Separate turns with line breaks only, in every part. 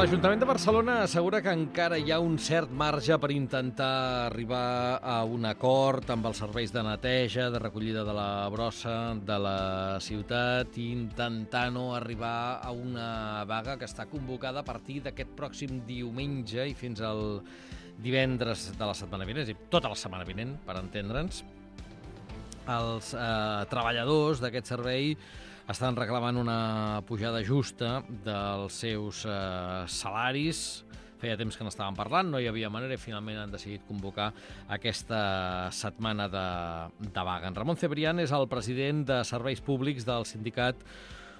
L'Ajuntament de Barcelona assegura que encara hi ha un cert marge per intentar arribar a un acord amb els serveis de neteja, de recollida de la brossa de la ciutat i intentar no arribar a una vaga que està convocada a partir d'aquest pròxim diumenge i fins al divendres de la setmana vinent, és a dir, tota la setmana vinent, per entendre'ns. Els treballadors d'aquest servei estan reclamant una pujada justa dels seus salaris. Feia temps que n'estàvem parlant, no hi havia manera i finalment han decidit convocar aquesta setmana de vaga. En Ramon Cebrián és el president de Serveis Públics del sindicat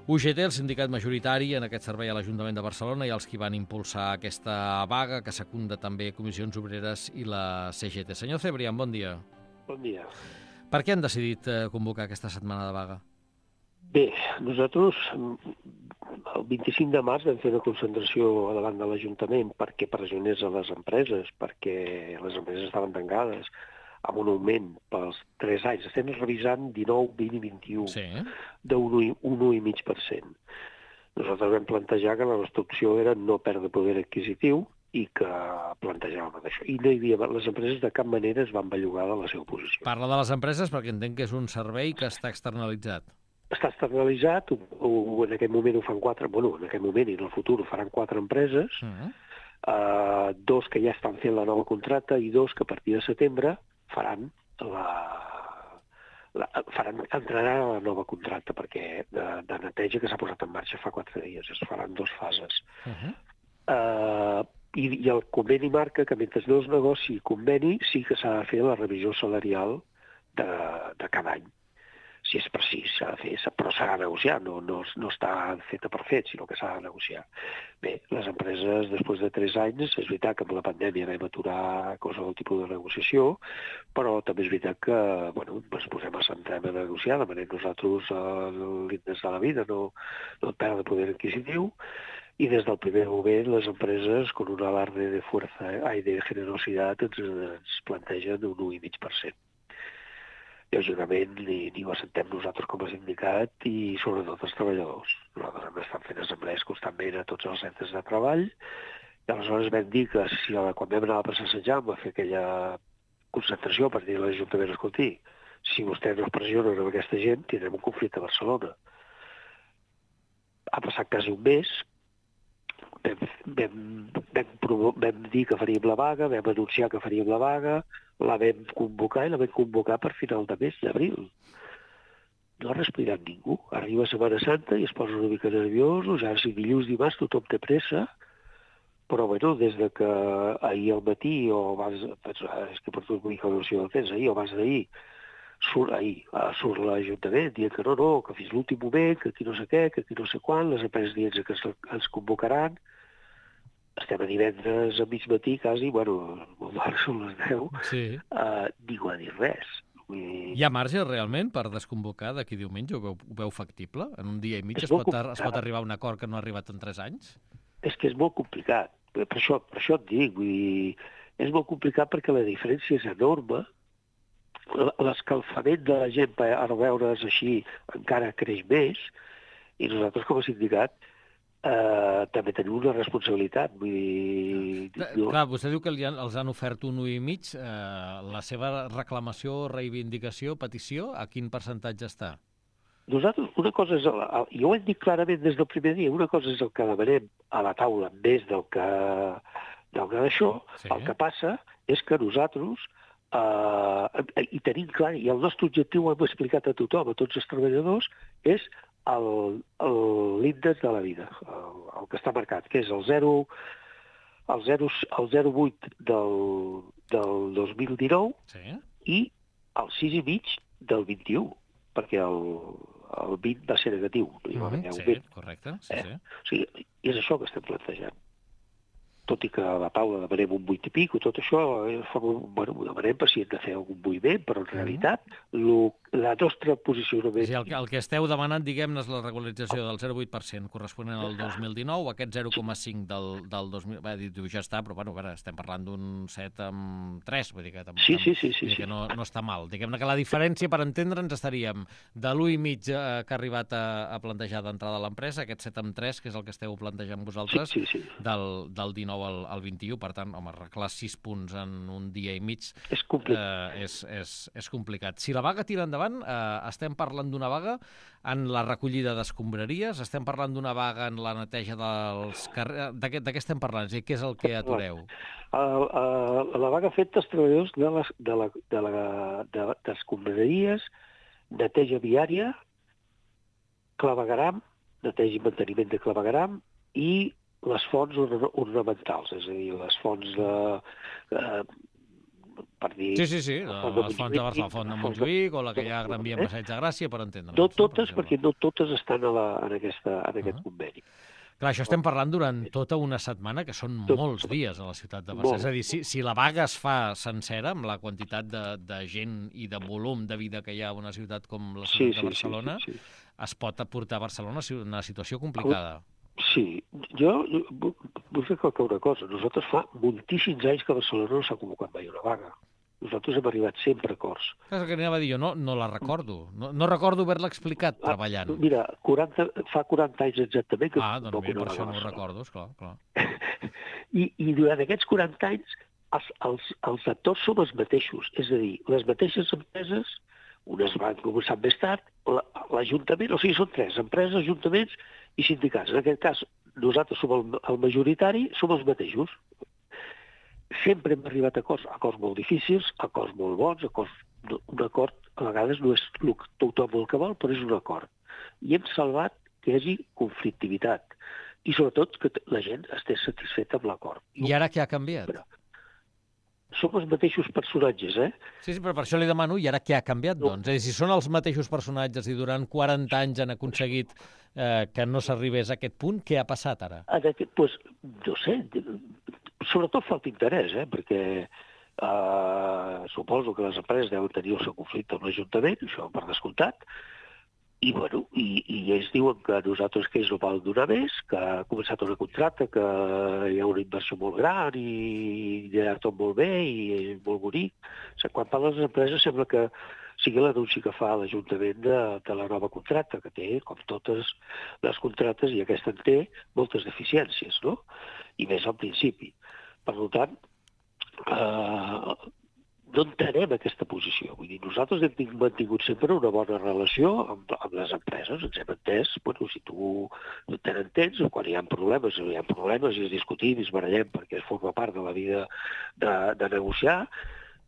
UGT, el sindicat majoritari en aquest servei a l'Ajuntament de Barcelona i els qui van impulsar aquesta vaga, que secunda també Comissions Obreres i la CGT. Senyor Cebrián, bon dia.
Bon dia.
Per què han decidit convocar aquesta setmana de vaga?
Bé, nosaltres el 25 de març vam fer una concentració davant de l'Ajuntament perquè pressionés a les empreses, perquè les empreses estaven tancades amb un augment pels 3 anys. Estem revisant 19, 20 i 21
Sí.
d'un 1,5%. Nosaltres vam plantejar que la nostra opció era no perdre poder adquisitiu i que plantejàvem això. I no hi havia, les empreses de cap manera es van bellugar de la seva posició.
Parla de les empreses perquè entenc que és un servei que està externalitzat.
Està externalitzat, en aquest moment ho fan 4, en aquest moment i en el futur ho faran 4 empreses, 2 que ja estan fent la nova contracta i 2 que a partir de setembre entraran a la nova contracta perquè de neteja que s'ha posat en marxa fa 4 dies. Es faran 2 fases. I el conveni marca que mentre no es negoci conveni sí que s'ha de fer la revisió salarial de cada any. Si és precís, s'ha de fer, però s'ha de negociar, no està feta per fet, sinó que s'ha de negociar. Bé, les empreses, després de 3 anys, és veritat que amb la pandèmia vam aturar qualsevol tipus de negociació, però també és veritat que ens centrem a negociar, demanem nosaltres l'índex de la vida, no perdre poder adquisitiu, i des del primer moment les empreses, con un alarde de fuerza y de generositat, ens plantegen un 1,5%. Lògicament, ni ho assentem nosaltres com a sindicat i sobretot els treballadors. Nosaltres hem estat fent assemblees constantment a tots els centres de treball i aleshores vam dir que quan vam anar a passejar a fer aquella concentració per dir a l'Ajuntament, escolti, si vostès no es pressionen amb aquesta gent, tindrem un conflicte a Barcelona. Ha passat quasi un mes, vam dir que faríem la vaga, vam anunciar que faríem la vaga, la vam convocar i la vam convocar per final de mes d'abril. No ha respirat ningú. Arriba Setmana Santa i es posa una mica nerviosos, ja si dilluns, dimarts, tothom té pressa, però des de que ahir al matí, és que per tu vull que no sé el temps, ahir o abans d'ahir, surt l'Ajuntament dient que no, que fins l'últim moment, que aquí no sé què, que aquí no sé quan, les empreses dient que ens convocaran. Estem a divendres a mig matí, quasi, al bar són les 10, ningú ha dit res.
Hi ha marge realment per desconvocar d'aquí diumenge? Ho veu factible? En un dia i mig es pot arribar a un acord que no ha arribat en 3 anys?
És que és molt complicat. Per això et dic, és molt complicat perquè la diferència és enorme. L'escalfament de la gent per veure's així encara creix més i nosaltres com a sindicat també tenim una responsabilitat.
Clar, vostè diu que els han ofert un 1,5. La seva reclamació, reivindicació, petició, a quin percentatge està?
Nosaltres, una cosa és, jo ho hem dit clarament des del primer dia, una cosa és el que demanem a la taula més del que d'això. El que passa és que nosaltres i tenim clar, i el nostre objectiu ho hem explicat a tothom, a tots els treballadors, és l'índex de la vida, el que està marcat, que és el 0,8 del 2019 i el 6,5 del 21, perquè el 20 va ser negatiu.
Correcte.
O sigui, és això que estem plantejant. Tot i que a la taula demanem un 8 i pico, tot això, ho demanem per si hem de fer algun moviment, però en realitat la nostra posicionament...
Sí, el que esteu demanant, diguem-ne, és la regularització del 0,8% corresponent al 2019, aquest 0,5% del 2000... Diu, ja està, però bueno, estem parlant d'un 7,3, vull dir que,
Sí.
que no està mal. Diguem-ne que la diferència, per entendre'ns, estaríem de l'1,5 que ha arribat a plantejar d'entrada a l'empresa, aquest 7,3, que és el que esteu plantejant vosaltres,
Sí.
del 19 al 21. Per tant, home, arreglar 6 punts en un dia i mig
És complicat.
És complicat. Si la vaga tira endavant, estem parlant d'una vaga en la recollida d'escombraries, estem parlant d'una vaga en la neteja dels carrers... De què estem parlant? És a dir, què és el que atureu?
La vaga afecta els treballadors d'escombraries, neteja viària, clavegueram, neteja i manteniment de clavegueram i les fonts ornamentals, és a dir, les fonts per dir...
Sí, les fonts de Barcelona, la font de Montjuïc o la que hi ha a Gran Via en Passeig de Gràcia, per entendre'ns.
No totes, perquè no totes estan en aquest conveni.
Clar, això estem parlant durant tota una setmana, que són molts dies a la ciutat de Barcelona. És a dir, si la vaga es fa sencera, amb la quantitat de gent i de volum de vida que hi ha a una ciutat com la ciutat de Barcelona, es pot aportar a Barcelona una situació complicada.
Sí, jo vull recalcar una cosa. Nosaltres fa moltíssims anys que a Barcelona no s'ha convocat mai una vaga. Nosaltres hem arribat sempre a acords.
És el que anava a dir, jo no la recordo. No recordo haver-la explicat treballant.
Mira, fa 40 anys exactament que...
Doncs mira, per això no ho recordo, esclar.
I durant aquests 40 anys els actors som els mateixos. És a dir, les mateixes empreses, unes van començar més tard, l'Ajuntament, o sigui, són 3, empreses, ajuntaments i sindicats. En aquest cas, nosaltres som el majoritari, som els mateixos. Sempre hem arribat a acords molt difícils, acords molt bons, un acord a vegades no és tothom el que vol, però és un acord. I hem salvat que hi hagi conflictivitat i sobretot que la gent estigui satisfeta amb l'acord.
I ara què ha canviat?
Som els mateixos personatges,
Sí, però per això li demano, i ara què ha canviat, doncs? És a dir, si són els mateixos personatges i durant 40 anys han aconseguit que no s'arribés a aquest punt, què ha passat ara?
Doncs, no sé, sobretot falta interès, perquè suposo que les empreses deuen tenir el seu conflicte amb l'Ajuntament, això per descomptat, i ells diuen que nosaltres que ells no poden donar més, que ha començat una contracte, que hi ha una inversió molt gran i hi ha tot molt bé i és molt bonic. O sigui, quan parlen les empreses sembla que sigui l'anunci que fa l'Ajuntament de la nova contracta, que té, com totes les contractes, i aquesta en té moltes deficiències, no? I més al principi. Per tant, no entenem aquesta posició. Vull dir, nosaltres hem mantingut sempre una bona relació amb les empreses. Ens hem entès, si tu no te n'entens, quan hi ha problemes i es discutim i es barallem perquè forma part de la vida de negociar,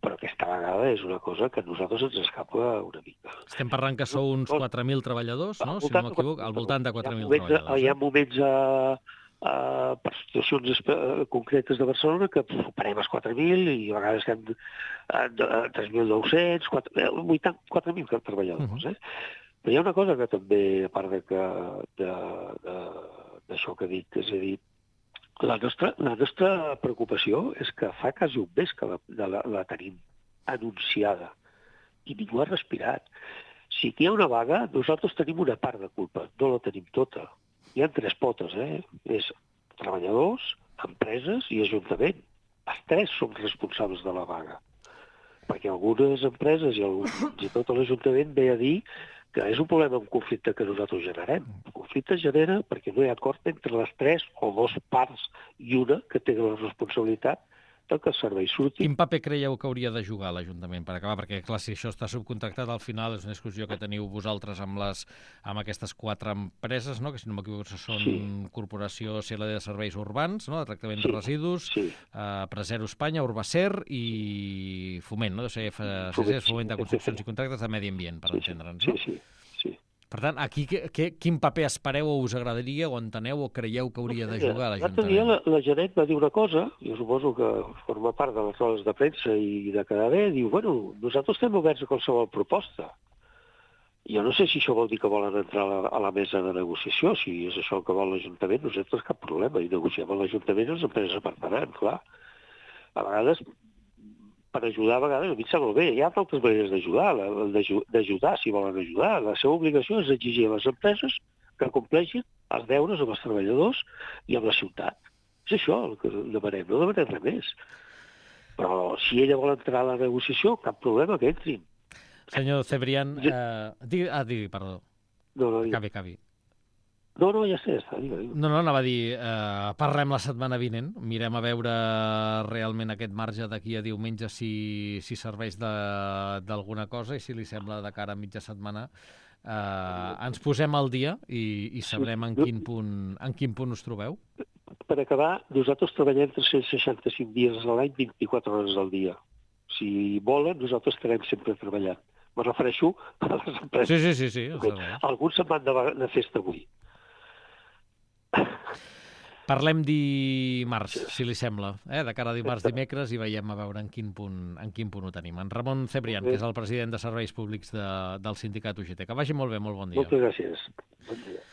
però aquesta vegada és una cosa que a nosaltres ens escapa una mica.
Estem parlant que sou uns 4.000 treballadors, no? Si no m'equivoco, al voltant de 4.000 treballadors.
Hi ha moments per situacions concretes de Barcelona que superem els 4.000 i a vegades estem a 3.900, 4.000 treballadors. Però hi ha una cosa que també, a part d'això que he dit, és a dir, la nostra preocupació és que fa quasi un mes que la tenim anunciada i ningú ha respirat. Si aquí hi ha una vaga, nosaltres tenim una part de culpa, no la tenim tota. Hi ha 3 potes, És treballadors, empreses i ajuntament. Els 3 som responsables de la vaga. Perquè algunes empreses i fins i tot l'Ajuntament ve a dir que és un problema, un conflicte que nosaltres generem. El conflicte es genera perquè no hi ha acord entre les 3 o 2 parts i una que té la responsabilitat que el servei surti.
Quin paper creieu que hauria de jugar l'Ajuntament per acabar? Perquè, clar, si això està subcontractat, al final és una discussió que teniu vosaltres amb aquestes 4 empreses, no? Que si no m'equivoco són Corporació CLD de Serveis Urbans, no? De tractament de residus, Presero Espanya, Urbacer i Foment, no? Foment de Construccions i Contractes de Medi Ambient, per entendre'ns, no?
Sí.
Per tant, aquí quin paper espereu o us agradaria o enteneu o creieu que hauria de jugar l'Ajuntament?
L'altre dia la Janet va dir una cosa, jo suposo que forma part de les rodes de premsa i de quedar bé, diu, nosaltres estem oberts a qualsevol proposta. Jo no sé si això vol dir que volen entrar a la mesa de negociació, si és això el que vol l'Ajuntament, nosaltres cap problema, i negociem amb l'Ajuntament i les empreses apartaran, clar. A vegades per ajudar a vegades, a mi em sembla bé. Hi ha altres maneres d'ajudar, si volen ajudar. La seva obligació és exigir a les empreses que compleixin els deures amb els treballadors i amb la ciutat. És això el que demanem, no demanem res més. Però si ella vol entrar a la negociació, cap problema que entrin.
Senyor Cebrián, digui, perdó.
No,
Acabi.
No, ja està. Digue.
No, anava a dir, parlem la setmana vinent, mirem a veure realment aquest marge d'aquí a diumenge si serveix d'alguna cosa, i si li sembla de cara a mitja setmana ens posem al dia i sabrem en quin punt us trobeu.
Per acabar, nosaltres treballem 365 dies a l'any, 24 hores al dia. Si volen, nosaltres estarem sempre treballant. Me refereixo a les empreses.
Sí.
Alguns se'n van de festa avui.
Parlem dimarts, si li sembla, de cara a dimecres, i veiem a veure en quin punt ho tenim. En Ramon Cebrián, que és el president de Serveis Públics del sindicat UGT. Que vagi molt bé, molt bon dia.
Moltes gràcies. Bon dia.